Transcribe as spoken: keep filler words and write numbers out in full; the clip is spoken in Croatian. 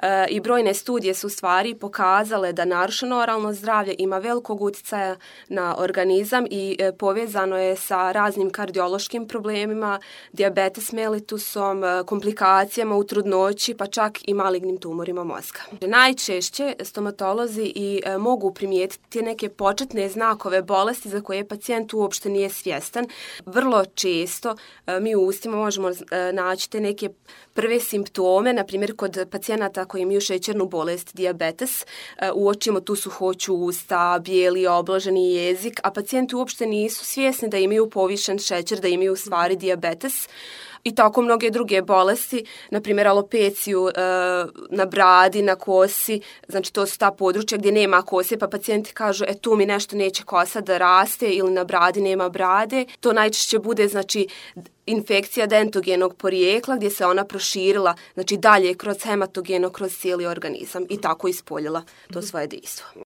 E, I brojne studije su u stvari pokazale da narušeno oralno zdravlje ima velikog utjecaja na organizam i e, povezano je sa raznim kardiološkim problemima, dijabetes mellitusom, komplikacijama u trudnoći, pa čak i malignim tumorima mozga. Najčešće stomatolozi i e, mogu primijetiti neke početne znakove bolesti za koje pacijent uopšte nije svjestan. Vrlo često e, mi u ustima možemo e, naći te neke prve simptome, na primjer kod pacijenata koji imaju šećernu bolest, dijabetes, uočimo tu suhoću usta, bijeli obloženi jezik, a pacijenti uopšte nisu svjesni da imaju povišen šećer, da imaju u stvari dijabetes. I tako mnoge druge bolesti, na primjer alopeciju e, na bradi, na kosi, znači to su ta područja gdje nema kose, pa pacijenti kažu e tu mi nešto neće kosa da raste ili na bradi nema brade. To najčešće bude znači infekcija dentogenog porijekla gdje se ona proširila znači dalje kroz hematogeno, kroz cijeli organizam i tako ispoljila to svoje dejstvo.